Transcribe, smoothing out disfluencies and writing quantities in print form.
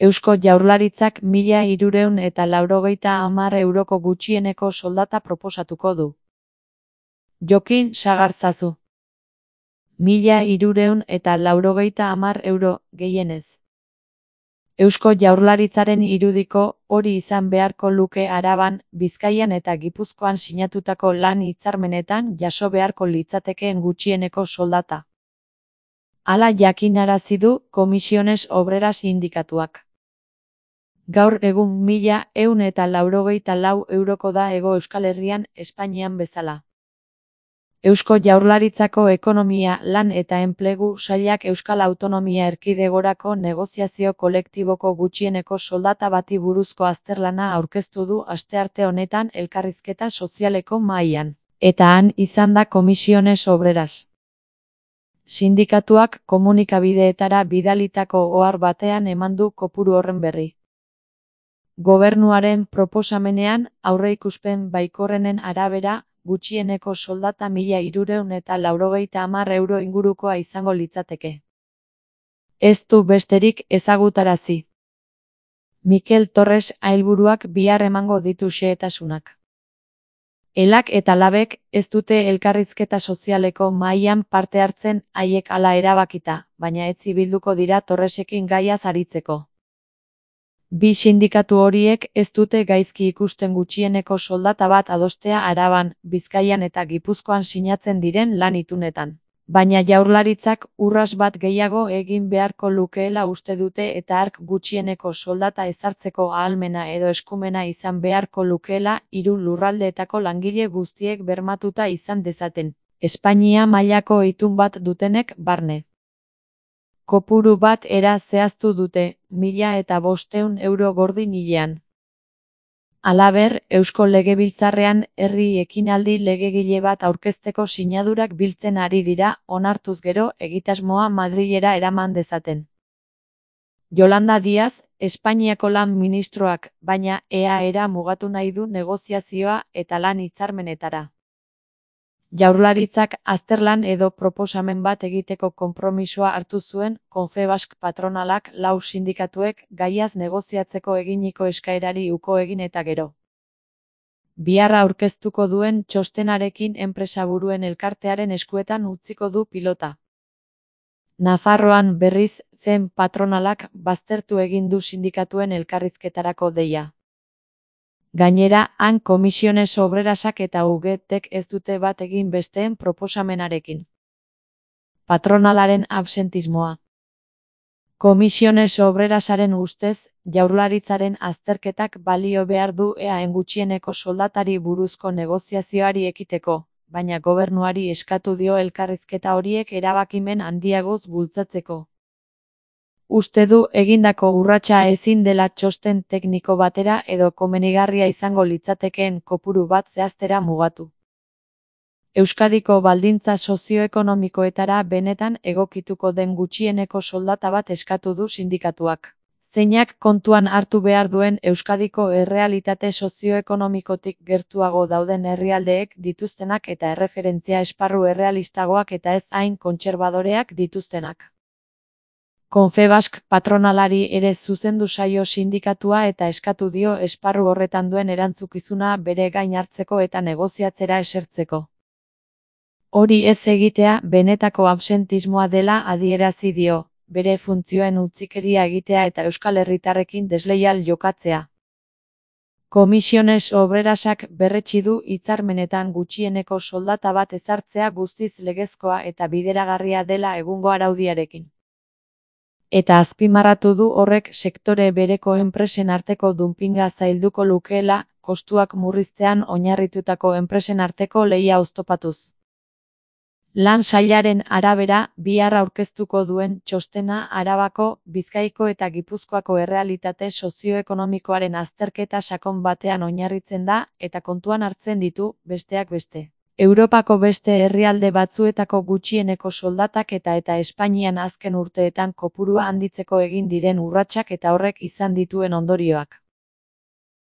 Eusko Jaurlaritzak 1.390 euroko gutxieneko soldata proposatuko du. Jokin Sagartzazu. 1.390 euro, gehienez. Eusko Jaurlaritzaren irudiko hori izan beharko luke Araban, Bizkaian eta Gipuzkoan sinatutako lan hitzarmenetan jaso beharko litzatekeen gutxieneko soldata. Hala jakinarazi du Comisiones Obreras sindikatuak. Gaur egun 1.194 euroko da Hego Euskal Herrian, Espainian bezala. Eusko Jaurlaritzako Ekonomia, Lan eta Enplegu Sailak Euskal Autonomia Erkidegorako negoziazio kolektiboko gutxieneko soldata bati buruzko azterlana aurkeztu du astearte honetan elkarrizketa sozialeko mahaian, eta han izan da Comisiones Obreras. Sindikatuak komunikabideetara bidalitako ohar batean eman du kopuru horren berri. Gobernuaren proposamenean, aurreikuspen baikorrenen arabera, gutxieneko soldata 1.390 euro ingurukoa izango litzateke. Ez du besterik ezagutarazi. Mikel Torres Ailburuak bihar emango ditu xehetasunak. Elak eta labek ez dute elkarrizketa sozialeko mahaian parte hartzen haiek hala erabakita, baina ez ibilduko dira Torresekin gaiaz aritzeko. Bi sindikatu horiek ez dute gaizki ikusten gutxieneko soldata bat adostea Araban, Bizkaian eta Gipuzkoan sinatzen diren lan itunetan. Baina Jaurlaritzak urras bat gehiago egin beharko lukeela uste dute eta hark gutxieneko soldata ezartzeko ahalmena edo eskumena izan beharko lukeela 3 lurraldeetako langile guztiek bermatuta izan dezaten, Espainia mailako itun bat dutenek barne. Kopuru bat era zehaztu dute, 1.500 euro gordin hilean. Halaber, Eusko Legebiltzarrean herri ekinaldi legegile bat aurkezteko sinadurak biltzen ari dira, onartuz gero egitasmoa Madrilera eraman dezaten. Yolanda Díaz, Espainiako lan ministroak, baina EAera mugatu nahi du negoziazioa eta lan hitzarmenetara. Jaurlaritzak azterlan edo proposamen bat egiteko konpromisoa hartu zuen Confebask patronalak 4 sindikatuek gaiaz negoziatzeko eginiko eskaerari uko egin eta gero. Bihar aurkeztuko duen txostenarekin enpresaburuen elkartearen eskuetan utziko du pilota. Nafarroan berriz, zen patronalak baztertu egin du sindikatuen elkarrizketarako deia. Gainera, han Comisiones Obrerasak eta UGTek ez dute bat egin besteen proposamenarekin. Patronalaren absentismoa. Comisiones Obrerasaren ustez, Jaurlaritzaren azterketak balio behar du EAen gutxieneko soldatari buruzko negoziazioari ekiteko, baina gobernuari eskatu dio elkarrizketa horiek erabakimen handiagoz bultzatzeko. Uste du egindako urratsa ezin dela txosten tekniko batera edo komenigarria izango litzatekeen kopuru bat zehaztera mugatu. Euskadiko baldintza sozioekonomikoetara benetan egokituko den gutxieneko soldata bat eskatu du sindikatuak. Zeinak kontuan hartu behar duen Euskadiko errealitate sozioekonomikotik gertuago dauden herrialdeek dituztenak eta erreferentzia esparru errealistagoak eta ez hain kontserbadoreak dituztenak. Confebask patronalari ere zuzendu zaio sindikatua eta eskatu dio esparru horretan duen erantzukizuna bere gain hartzeko eta negoziatzera esertzeko. Hori ez egitea benetako absentismoa dela adierazi dio, bere funtzioen utzikeria egitea eta Euskal Herritarrekin desleial jokatzea. Comisiones Obrerasak berretsi du hitzarmenetan gutxieneko soldata bat ezartzea guztiz legezkoa eta bideragarria dela egungo araudiarekin. Eta azpimarratu du horrek sektore bereko enpresen arteko dumpinga zailduko lukeela, kostuak murriztean oinarritutako enpresen arteko lehia oztopatuz. Lan sailaren arabera, bihar aurkeztuko duen txostena Arabako, Bizkaiko eta Gipuzkoako errealitate sozioekonomikoaren azterketa sakon batean oinarritzen da eta kontuan hartzen ditu, besteak beste. Europako beste herrialde batzuetako gutxieneko soldatak eta Espainian azken urteetan kopurua handitzeko egin diren urratsak eta horrek izan dituen ondorioak.